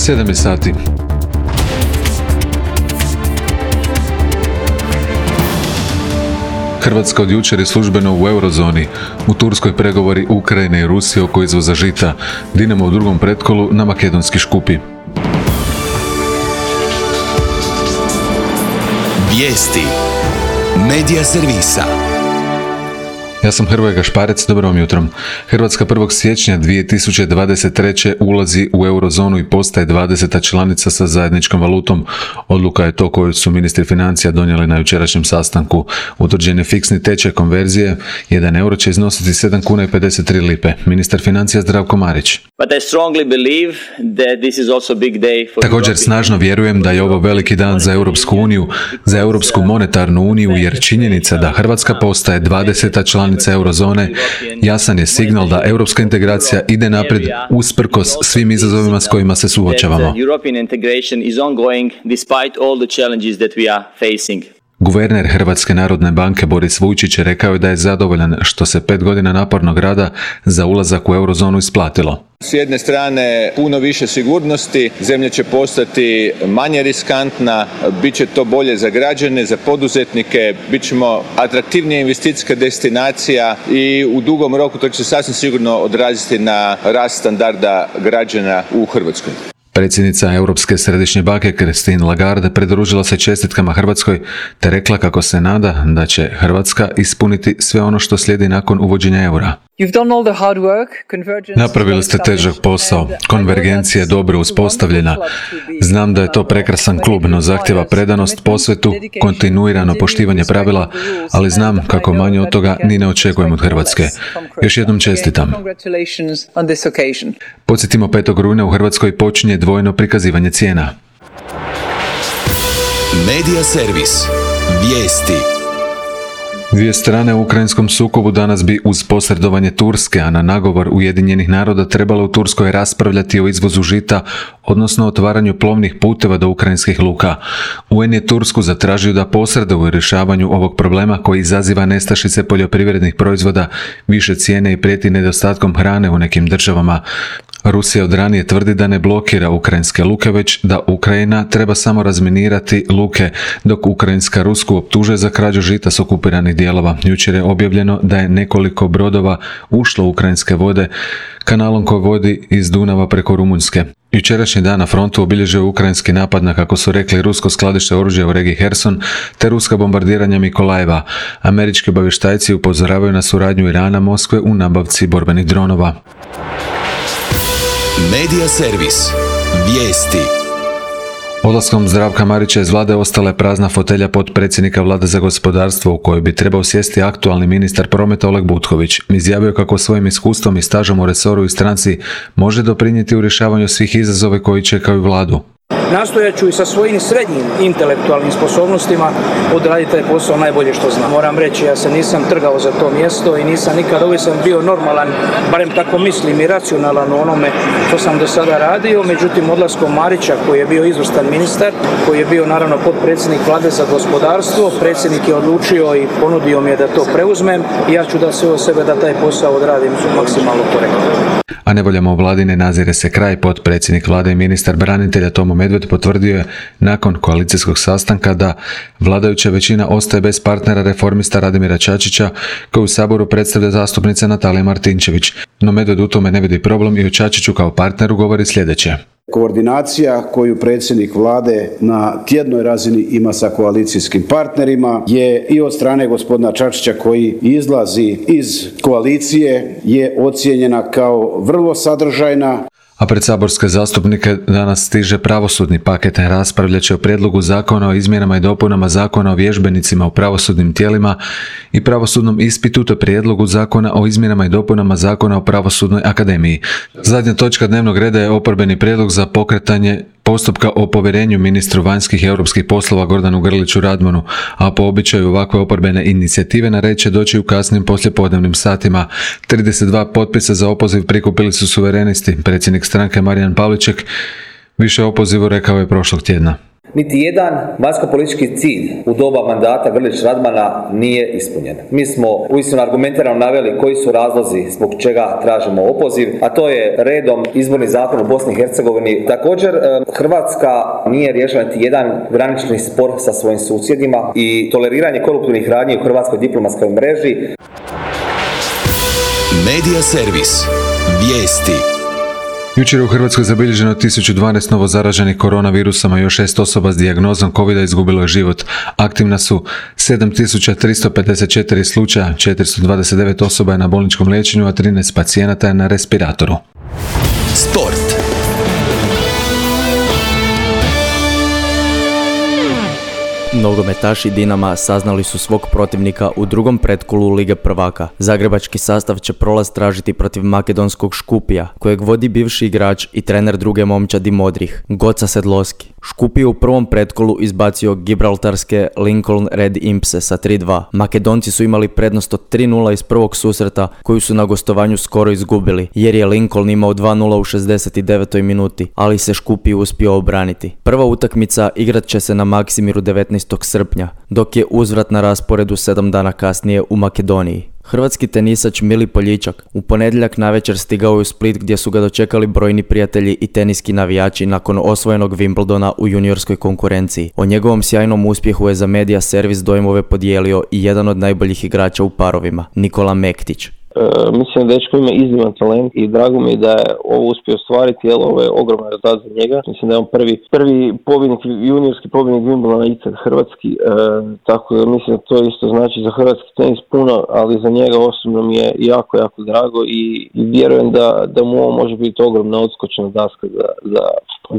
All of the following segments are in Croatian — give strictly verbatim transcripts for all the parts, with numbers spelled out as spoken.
sedam je sati. Hrvatska od jučer je službeno u eurozoni. U Turskoj pregovori Ukrajine i Rusije oko izvoza žita. Dinamo u drugom pretkolu na makedonski Škupi. Vijesti Medija servisa. Ja sam Hrvoje Gašparec, dobro vam jutro. Hrvatska prvog siječnja dvije tisuće dvadeset treće ulazi u eurozonu i postaje dvadeseta članica sa zajedničkom valutom. Odluka je to koju su ministri financija donijeli na jučerašnjem sastanku. Utvrđen je fiksni tečaj konverzije, jedan euro će iznositi sedam kuna i pedeset tri lipe. Ministar financija Zdravko Marić. Također snažno vjerujem da je ovo veliki dan za Europsku uniju, za Europsku monetarnu uniju, jer činjenica da Hrvatska postaje dvadeseta članica eurozone jasan je signal da europska integracija ide naprijed usprkos svim izazovima s kojima se suočavamo. Guverner Hrvatske narodne banke Boris Vujčić rekao je da je zadovoljan što se pet godina napornog rada za ulazak u eurozonu isplatilo. S jedne strane puno više sigurnosti, zemlja će postati manje riskantna, bit će to bolje za građane, za poduzetnike, bit ćemo atraktivnija investicijska destinacija i u dugom roku to će se sasvim sigurno odraziti na rast standarda građana u Hrvatskoj. Predsjednica Europske središnje banke Christine Lagarde pridružila se čestitkama Hrvatskoj te rekla kako se nada da će Hrvatska ispuniti sve ono što slijedi nakon uvođenja eura. Napravili ste težak posao, konvergencija je dobro uspostavljena. Znam da je to prekrasan klub, no zahtjeva predanost, posvetu, kontinuirano poštivanje pravila, ali znam kako manje od toga ni ne očekujem od Hrvatske. Još jednom čestitam. Podsjetimo, petog rujna u Hrvatskoj počinje dvojno prikazivanje cijena. Medija servis. Vijesti. Dvije strane u ukrajinskom sukobu danas bi uz posredovanje Turske, a na nagovor Ujedinjenih naroda trebalo u Turskoj raspravljati o izvozu žita, odnosno otvaranju plovnih puteva do ukrajinskih luka. U en je Tursku zatražio da posreduje u rješavanju ovog problema koji izaziva nestašice poljoprivrednih proizvoda, više cijene i prijeti nedostatkom hrane u nekim državama. Rusija od ranije tvrdi da ne blokira ukrajinske luke, već da Ukrajina treba samo razminirati luke, dok Ukrajinska Rusku optužuje za krađu žita s okupiranih dijelova. Jučer je objavljeno da je nekoliko brodova ušlo u ukrajinske vode kanalom koji vodi iz Dunava preko Rumunjske. Jučerašnji dan na frontu obilježio je ukrajinski napad na, kako su rekli, rusko skladište oružja u regiji Herson te ruska bombardiranja Mikolajeva. Američki obavještajci upozoravaju na suradnju Irana, Moskve u nabavci borbenih dronova. Medija servis. Vijesti. Odlaskom Zdravka Marića iz vlade ostala je prazna fotelja potpredsjednika vlade za gospodarstvo u kojoj bi trebao sjesti aktualni ministar prometa Oleg Butković. Izjavio kako svojim iskustvom i stažom u resoru i stranci može doprinijeti u rješavanju svih izazova koji čekaju vladu. Nastojat ću i sa svojim srednjim intelektualnim sposobnostima odraditi taj posao najbolje što znam. Moram reći, ja se nisam trgao za to mjesto i nisam nikad, uvijek sam bio normalan, barem tako mislim i racionalan u onome što sam do sada radio. Međutim, odlaskom Marića, koji je bio izvrstan ministar, koji je bio naravno potpredsjednik vlade za gospodarstvo, predsjednik je odlučio i ponudio mi je da to preuzmem i ja ću da sve od sebe da taj posao odradim maksimalno korektno. A nevoljama u vladi ne nazire se kraj. Potpredsjednik vlade i ministar branitelja Tomo Medved potvrdio je nakon koalicijskog sastanka da vladajuća većina ostaje bez partnera reformista Radimira Čačića, koji u Saboru predstavlja zastupnica Natalija Martinčević. No Medved u tome ne vidi problem i o Čačiću kao partneru govori sljedeće. Koordinacija koju predsjednik vlade na tjednoj razini ima sa koalicijskim partnerima je i od strane gospodina Čačića, koji izlazi iz koalicije, je ocijenjena kao vrlo sadržajna. A pred saborske zastupnike danas stiže pravosudni paket. Raspravljat će o prijedlogu zakona o izmjenama i dopunama zakona o vježbenicima u pravosudnim tijelima i pravosudnom ispitu te prijedlogu zakona o izmjenama i dopunama zakona o pravosudnoj akademiji. Zadnja točka dnevnog reda je oporbeni prijedlog za pokretanje postupka o povjerenju ministru vanjskih i europskih poslova Gordanu Grliću Radmanu, a po običaju ovakve oporbene inicijative na red će doći u kasnim poslijepodnevnim satima. trideset dva potpisa za opoziv prikupili su suverenisti. Predsjednik stranke Marijan Pavliček više o opozivu rekao je prošlog tjedna. Niti jedan vanjsko-politički cilj u doba mandata Grlić Radmana nije ispunjen. Mi smo uistinu argumentirano naveli koji su razlozi zbog čega tražimo opoziv, a to je redom izborni zakon u Bosni i Hercegovini. Također, Hrvatska nije riješila niti jedan granični spor sa svojim susjedima i toleriranje koruptivnih radnji u hrvatskoj diplomatskoj mreži. Medija servis. Vijesti. Jučer je u Hrvatskoj zabilježeno tisuću dvanaest novo zaraženih koronavirusom, a još šest osoba s dijagnozom kovida izgubilo je život. Aktivna su sedam tisuća tristo pedeset četiri slučaja, četiristo dvadeset devet osoba je na bolničkom liječenju, a trinaest pacijenata je na respiratoru. Sport. Nogometaši Dinama saznali su svog protivnika u drugom pretkolu Lige prvaka. Zagrebački sastav će prolaz tražiti protiv makedonskog Škupija, kojeg vodi bivši igrač i trener druge momčadi Modrih, Goca Sedloski. Škupi je u prvom pretkolu izbacio gibraltarske Lincoln Red Impse sa tri dva. Makedonci su imali prednost od tri nula iz prvog susreta, koju su na gostovanju skoro izgubili, jer je Lincoln imao dva nula u šezdeset devetoj minuti, ali se Škupi uspio obraniti. Prva utakmica igrat će se na Maksimiru devetnaestog srpnja, dok je uzvrat na rasporedu sedam dana kasnije u Makedoniji. Hrvatski tenisač Mili Poljičak u ponedjeljak navečer stigao je u Split, gdje su ga dočekali brojni prijatelji i teniski navijači nakon osvojenog Wimbledona u juniorskoj konkurenciji. O njegovom sjajnom uspjehu je za Medija servis dojmove podijelio i jedan od najboljih igrača u parovima, Nikola Mektić. Uh, mislim da dečko ima izniman talent i drago mi je da je ovo uspio ostvariti, jer ovo je ogroman rezultat za njega. Mislim da je on prvi, prvi pobjednik, juniorski pobjednik Wimbledona ikad hrvatski, uh, tako da mislim da to isto znači za hrvatski tenis puno, ali za njega osobno mi je jako, jako drago i, i vjerujem da, da mu ovo može biti ogromna odskočna daska za, za,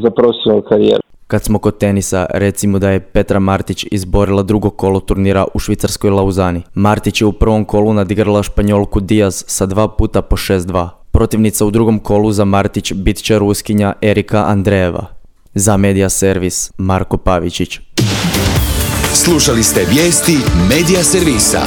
za profesionalnu karijeru. Kad smo kod tenisa, recimo da je Petra Martić izborila drugo kolo turnira u švicarskoj Lauzani. Martić je u prvom kolu nadigrala Španjolku Diaz sa dva puta po šest dva. Protivnica u drugom kolu za Martić bit će Ruskinja Erika Andreeva. Za Medija servis, Marko Pavičić. Slušali ste vijesti Medija servisa.